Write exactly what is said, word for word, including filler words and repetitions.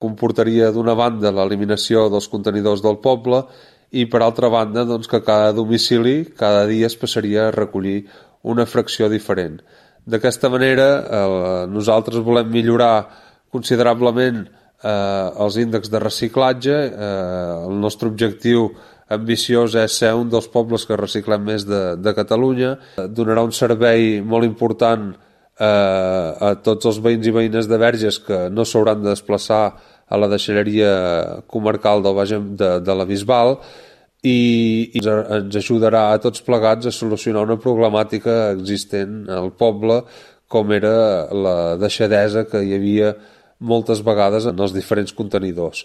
comportaria d'una banda l'eliminació dels contenidors del poble i per altra banda doncs, que cada domicili cada dia es passaria a recollir una fracció diferent. D'aquesta manera eh, nosaltres volem millorar considerablement eh, els índexs de reciclatge. Eh, el nostre objectiu ambiciós és ser un dels pobles que reciclem més de, de Catalunya. Donarà un servei molt important eh, a tots els veïns i veïnes de Verges que no s'hauran de desplaçar a la deixalleria comarcal del Baix de, de la Bisbal i, i ens ajudarà a tots plegats a solucionar una problemàtica existent al poble com era la deixadesa que hi havia moltes vegades en els diferents contenidors.